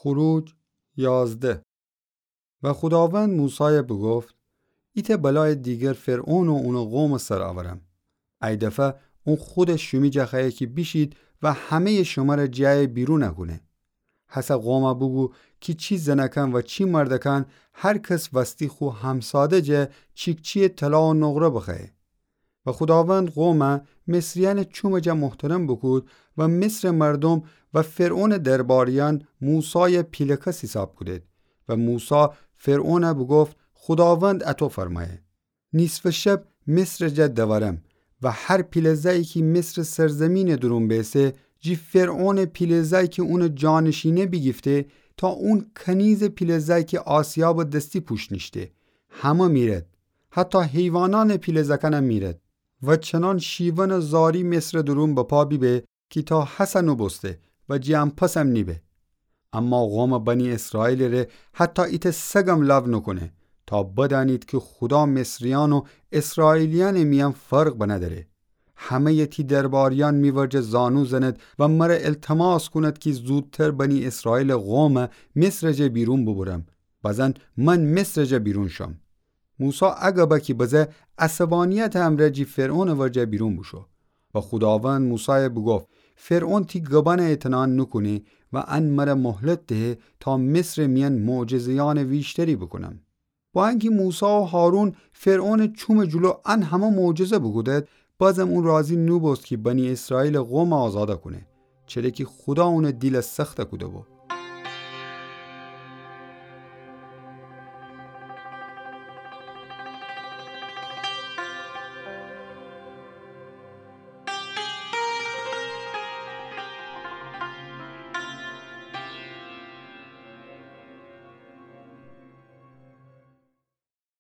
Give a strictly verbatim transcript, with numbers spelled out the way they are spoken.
خروج یازده. و خوداوند موسایَ بوگفت: ایتأ بلایٚ دیگر فرعون و اونٚ قومٚ سر اورم. ای دفه اون خودش شیمی جا خوأیه کی بیشید و همه‌یٚ شمره جٚه ایه بیرون کونه. هسه قومَ بوگو کی چی زنکان و چی مردکان هر کس وستی خو همساده جا چیکچی‌یٚ طلا و نقره بخوأیه. و خوداوند قومَ مصریأنٚ چومٚ جا محترم بوکود و مصرٚ مردوم و فرعونٚ درباریأن موسایَ پیله‌کس حیساب کودید. و موسی فرعونَ بوگفت: خوداوند اطو فرمأیه: نیصفٚ شب مصرٚ جا دورم و هر پیله زأیی کی مصرٚ سرزیمینٚ دورون بیسه، جی فرعونٚ پیله زأی کی اونٚ جانشینی بیگیفته، تا اون کنیزٚ پیله زأی کی آسیابٚ دستی پوشت نیشته، همه میرد، حتی حیوانأنٚ پیله زأکأنم میرد. و چنان شیونٚ زاری مصرٚ دورون بپا بیبه کی تا هسه نوبوسته و جٚه ان پسم نیبه. اما قومٚ بنی اسرائیلٚ ره حتی ایتأ سگم لو نوکونه، تا بدأنید کی خودا مصریأن و اسرائیلیأنٚ میأن فرق بندأره. همه‌یٚ تی درباریأن می ورجه زانو زند و مره التماس کونید کی زودتر بنی اسرائیلٚ قومَ مصرٚ جا بیرون بوبرم، بزن من مصرٚ جا بیرون شم. موسی ا گبَ کی بزه، عصبانیتٚ امرأ جی فرعونٚ ورجه بیرون بوشو. و خوداوند موسایَ بوگفت: فرعون تی گبأنَ اطنان نوکونه و ان مره مهلت دهه تا مصرٚ میأن معجزه‌یأنٚ ویشتری بوکونم. با انکی موسی و هارون فرعونٚ چومٚ جلو ان همه معجزه بوکودید، بازم اون راضی نوبوست کی بنی اسرائیلٚ قومَ آزاد کونه، چره کی خودا اونٚ دیلَ سخت کوده‌بو.